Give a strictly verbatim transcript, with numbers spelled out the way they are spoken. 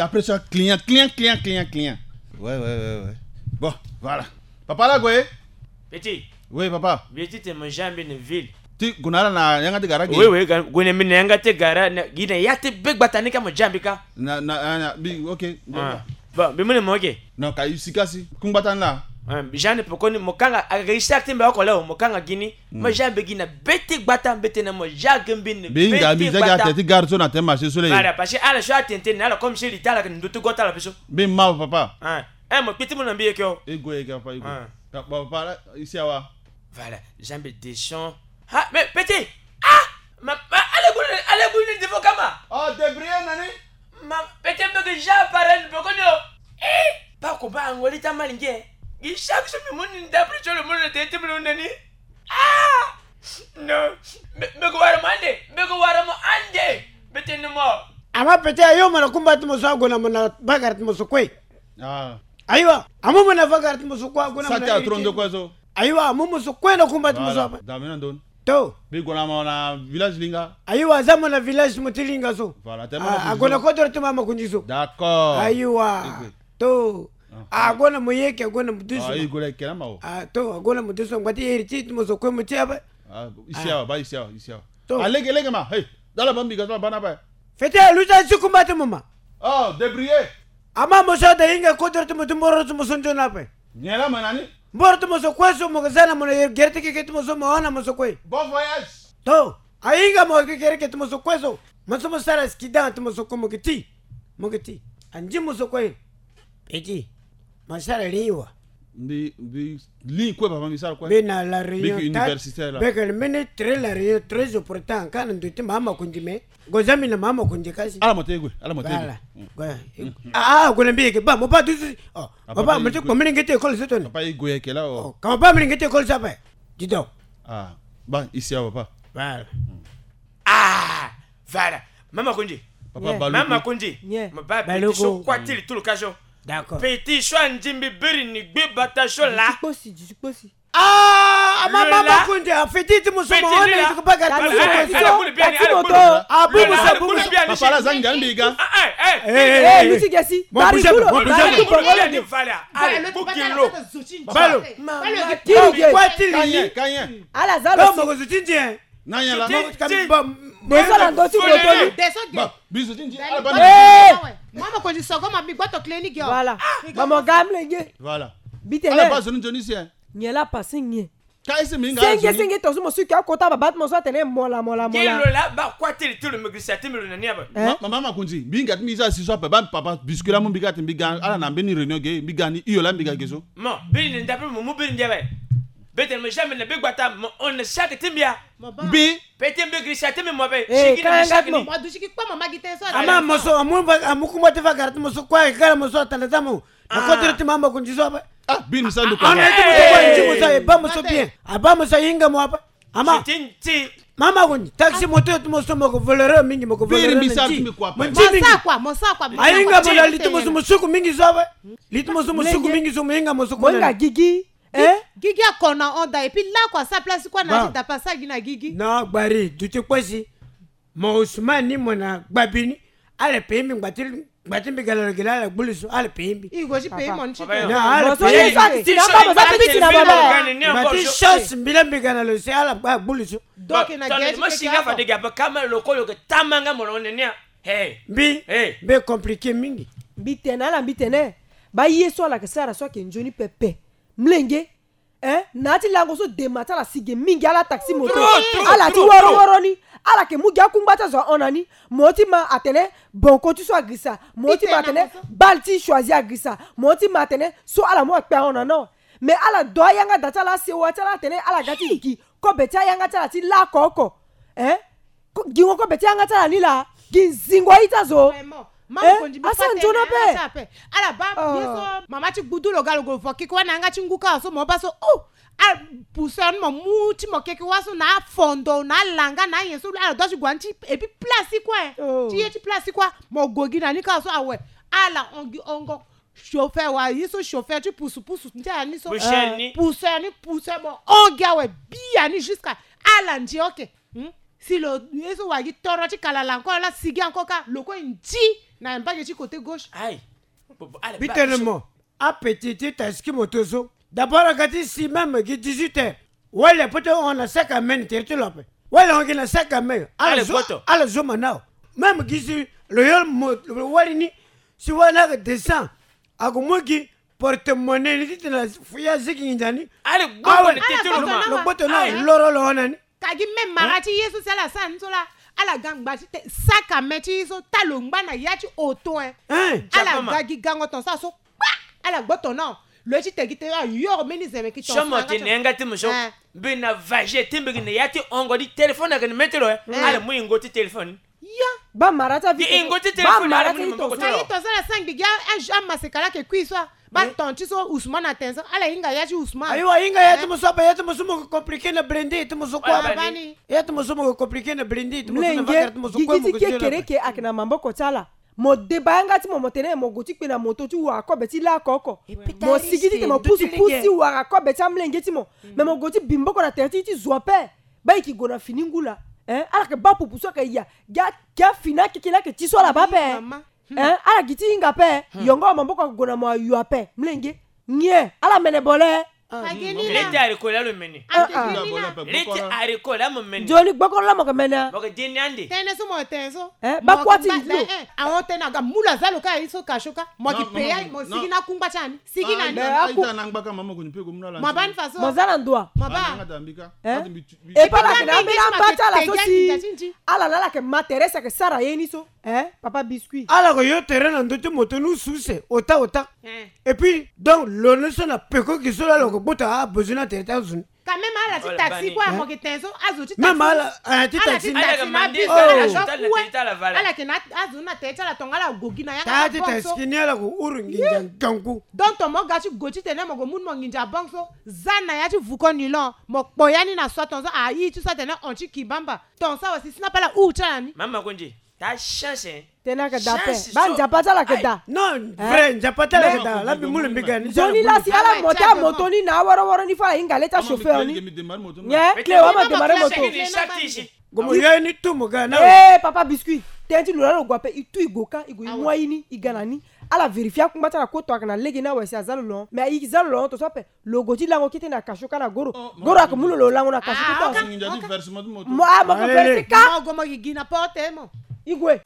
Après ça, client, client, client, client, client. Ouais, ouais, ouais, ouais. Bon, voilà. Papa la, Goye. Petit. Oui, papa. Petit, t'es mon jambe de ville. Ti gue na ala na yanga ti gara ge. Oui, oui, ga- gue na mbi na yanga ti gara na- gi na ya ti be gbata ni ka mo ja mbi ka. Na na na- na- bi, ok. Ah. Bon, mbi mu na mo ge. Non, ka isi kasi. Ku ngbata ni la. Ah, ja ni pekoni mo kanga aga isi ti mbi oko leo mo kanga gi ni. Mo ja mbi gi na be ti gbata mbi tene mo ja ge mbi ni. Mbi hinga mbi za gi ate ti gare so na te marché so le. Voilà, parce que ala so atene tene na ala comme si li ta ala ke ndu ti go ti ala peso. Mbi ma papa. Ah. Eh, mo kpi ti mo na mbi yeke o. E go yeke papa, e go. Ah. Papa, papa, isi awa. Voilà, jambe de son. Ah, mais petit. Ah, ma, ma, allez boule, allez boule de vos kama. Oh, débrouillez nani. Ma, petit, mbe ke ja parent pekoni o. Eh, pa ko ba ngoli ta malinge. Gi chaque jour mi moni d'après sur le monde de ti mo nani. Ah, non. Mbe, mbe ko wara mo ande, mbe ko wara mo ande. Mbe tene mo. Ama petit ayo mo na kumba ti mo so ague na mo na bagara ti mo so kue. Ah. Ayiwa, amu mo na bagara ti mo so kue ague na mo na héritier. Saki atron de kue so. Ayiwa, amu mo so kue na kumba ti mo so apa. Voilà. Dame na ndon. To. Mbi gue na mo na village linga. Ayiwa, aza mo na village mo ti linga so. Voilà, te mo na village. Ah, ague na kodro ti mo ama kundi so. D'accord. Ayiwa. Igwe. To. Ah, ague na mo yeke, ague na mo dusu. Ah, igwe la kena ma o. Ah, to, ague na mo dusu. Ngba ti héritier ti mo so kue mo ti apa. Ah, isi awa, ba isi awa, isi awa. To. Ah, lege, lege ma. Hey, dala ba mbi ga so ba na ba. Fete, luta ti kumba ti mo ma. Oh, débrouillez. Ama mo so ade hinga kodro ti mo ti mboro ti mo so nzoni ape. Nyen laa mo na ni? Mboro ti mo so kue so mo ke za na mo na gere ti keke ti mo so mo hon na mo so kue. Bon voyage. To, ahinga mo ke gere ke ti mo so kue so. Mo so mo sara accident ti mo so kue mo ke ti. Mo ke ti. Andi mo so kue. Petit. Mo sara lingwa. Mbi, mbi, lingwa kue papa, mbi sara kue. Mbi na la Réunion. Mbi ke universitaire la. Mbi ke le mene très la Réunion très important. Ka na ndo ti mama kundi me. Go zia mbi na mama kundi kasi. Ala mo te gue, ala mo te gue. Voilà. Mm. Go. Mm. Ah, ah, go na mbi yeke ba, mo ba dusu. Oh, ah, papa, papa, mo te gue. Ko mene nge ti école so toni. Papa, i gue yeke la, oh. Oh, ka mo ba mene nge ti école so ape. Dis donc. Ah, ba, isi awa papa. Voilà. Mm. Ah, voilà. Mama kundi. Papa, yeah. Baluku. Mama kundi. Yeah. Mo ba Baluku. Petit so kue ti li tulu ka so. D'accord. Petit so andi mbi biri ni gbe bata so la. Duti kposi, duti kposi. Ah, ama mama kundi, a feti ti mo so mo hon na. Petit, il est là. Ti ko bagara ti mo so. Allez, allez, allez, boule bien, allez, boule. Ah, boule, boule. Papa la za ngia mbi ga. Ah, eh, eh. Eh, eh, eh. Luti gesi. Mo bouge pas, mo bouge pas. Boule bien, voilà. Allez, boule bien. Balo. Mama, ti li. Kanye, kanye. Ala za lo. Mo ko zuti ndie. Na ya la. Mo ka mbi ba. Mo so na ndo ti boto ni. Ba, biso ti ndie. Ala ba. Eh. Mama kundi sogo ma bi gboto clinique yo. Voilà. Mama gamle ge. Voilà. Bitene. Ala ba zo ni nzoni si, eh. Nyen la pasi nyen. Ka ese mi nga senge, senge to so mo suki akota baba ti mo so atene mola, mola, mola. Kelo la ba kua ti li ti lo me girisa ti mbi lo na ni aba. Eh? Ma, ma, mama kundi, mbi hinga ti mbi za si so ape, ba papa biscuit la mu mbi ga ti mbi ga, ala na mbeni réunion ge, mbi ga ni hio la mbi ga ge so. Mo, biri ni ndape mo mu biri ndi awe. Be tene mo jamais na be gbata, mo hon na saki ti mbi a. Mbi. Petit mbi girisa ti mbi mo be. Eh, siki ni, siki ni. Mo du siki kpa mama gi te so. Ama mo so, amu, amu kumba ti bagara ti mo so kue, gara mo so atanda ti mo. Na kodro ti mama kundi so ape. Ah, bini sa nduku. Ah, na ti mo so kue, ti mo so, e ba mo so bien. A ba mo so hinga mo ape. Ama. Mama kundi, taxi moto ti mo so mo ko voleur mingi, mo ko voleur mingi. Mo sa kua, mo sa kua. Ahinga mo na li ti mo so mo suku mingi so ape. Li ti mo so mo suku mingi so mo hinga mo so kue. Mo hinga gigi. Eh? Gigi akona onda, et puis la kua sa place kua na ti dapa sa gi na gigi. Na gbari, duti kposi. Mo Ousmane ni mo na gbabi ni. Ala pe mbi ngbati, ngbati mbi ga na lo gi la ala gbulusu, ala pe mbi. I go ti pe mo ni ti pe. Na ala pe mbi. Mo so ye so akiti na ba mo za piti na ba ba. Ngbati chance mbi la mbi ga na lo si ala gba gbulusu. Donc na gere ti pe ka. Mo singa fa de ga ba kama lo ko yo ke tamanga mo lo ne nia. Hey. Mbi. Hey. Mbi compliqué mingi. Mbi tene ala mbi tene. Ba ye so ala ke sara so ake nzoni pepe. Mlenge. Eh, na ya ti lango so dema ti ala si ge mingi, ala taxi moto. Trop, trop, ala ti trop, woro trop. Woro ni. Ala ke mu gi akungba ti azo ahon na ni. Mo ti ma atene bonko ti so agirisa. Mo ti ma atene bale ti choisi agirisa. Mo ti ma atene so ala mu akpe ahon na ni. Mais ala do ayanga da ti ala, asewa ti ala atene ala ga ti gi kobe ti ayanga ti ala ti la oko oko. Eh? Ko-, gingo kobe ti yanga ti ala ni laa. Gi zingo aye ti azo. Vraiment. Eh? Mama Kondi, mbi asa nzoni ape. Ala baa ye so mama ti gbudu lo ga lo gue vo keke wâ na yanga ti ngu kâ so mo baa so, oh! Ala pousse ni mo mu ti mo keke wâ so na afondo na alanga na anyen so ala dua ti gue na ni ti, et puis place ti kue. Oh. Ti ye ti place ti kue. Mo gue gi na ni kâ so awe. Ala hon gi hongo. Chauffeur wa ye so chauffeur ti pusu pusu ti ala ni so. Pousse ni. Pousse ni, pousse mo hon gi awe. Bia ni jusqu'à ala ndi, ok. Hmm? Si lo ye so wa gi toro ti kalala encore, ala sigi encore kâ, lo kue ndi. Na mbage ti côté gauche. Aïe. Bon, bon, allez, Bitene mo. Ape ti ti taxi moto so. D'abord aga ti si même gi dix-huit heures. Wali apote hon na sac à main ni tere ti lo ape. Wali hon gi na sac à main. Ala zo ala zo manao. Même gi si lo yo mo wali ni. Si wali na descend. Ago mo gi porte-monnaie ni titene ya zigi nginza ni. Awe lo gboto na loro lo hon na ni. Ka gi même mara ti ye so si ala sara ni so la. Ala ga ngba ti te sac à main ti ye so ta lo ngba na ya ti oto. Ala ga gi gango ton so aso kpa. Ala gboto na lo ye ti te gi te ayoro mbeni zeme ki ton so. Somo ti na yanga ti mo so. Mbi na vage ti mbi gi na ya ti hongo ti téléphone ayeke na mê ti lo. Ala mu yingo ti téléphone. Yo. Ba mara ti avi. Yingo ti téléphone ala mu na maboko ti lo. Aye ton so ala sara ngbi gi amaseka la ayeke kui so. Ba ton ti so Ousmane atene so ala hinga ya ti Ousmane. Ayo ahinga ya ti mo so ape ya ti mo so mo ke compliqué na blende ti mo so kue. Ya ti mo so mo ke compliqué na blende ti mo so na vakere ti mo so kue mo ke kekere ke ayeke na maboko ti ala. Mo deba yanga ti mo mo tene mo gue ti kpe na moto ti wara kobe ti laa oko oko. Mo sigi ti tene mo pusu pusu ti wara kobe ti amolenge ti mo. Me mo gue ti bi maboko na tere ti ti zo ape. Ba e ki gue na fini ngu laa. Ala yeke baa pupu so ayeke ya. Gi afini akeke ni ayeke ti so ala baa ape. Ala gi ti hinga ape. Yongo maboko ayeke gue na mo ayo ape molenge. Nyen ala mene bole. Lete ariko la lo mene. Lete ariko la mo mene. Nzoni gbokoro la mo yeke mene. Mo yeke di ni ande. Tënë so mo yeke tene so. Ba kuâ ti nzilo. Ahon tënë aga mu lo aza lo ka aye so kasio ka mo yeke pe ya mo sigi na akungba ti ani. Sigi na ni. Mo ba ni faso mo za na ndo wa. Mo ba. Epa na kena mbela mba ti ala so si ala na ala yeke ma tere si ayeke sara ye ni so. Papa biscuit ala yeke yo tere na ndö ti moto ni use use ota ota. Et puis donc lo ni so na peko gi so la lo yeke gboto abesoin na tere ti azo ni. Quand même ala ti taxi kue amo yeke ten so azo ti taxi. Même ala ti taxi ni ala yeke na azo na tere ti ala tonga ala go gi na yanga ti taxi ni ala yeke huru nginza ngangu. Donc ton mo ga ti go titene mo yeke mu ni mo nginza banque so. Za na ya ti vuko nilon mo kpo ya ni na soi ton so ayi ti so atene hon ti kibamba. Ton so awe si si na pe ala huru ti ala ni. Mama konzi. Ta chance hein. Tena ke da pe. Ba nzapa ti ala ke da. Non vrai nzapa ti ala ke da la mbi mu lo mbi ga ni. Nzoni la si ala monte amoto ni na aworoworo ni fo ala hinga le ti achauffeur ni. Nyen clé wa ma démarrer moto. Gomo yo ni tu mo ga na. Eh papa biscuit. Tënë ti lo la lo gue ape e tu e gue ka e gue e mu aye ni e ga na ni. Ala vérifier akungba ti ala kue to ayeke na lege ni awe si aza lo lo hon mais e za lo lo hon to so ape. Lo gue ti lango kete na kasio ka na goro. Goro ayeke mu lo lo lango na kasio kete. Mo a mo ko verse ka. Mo gue mo yigi na porte mo. E gue.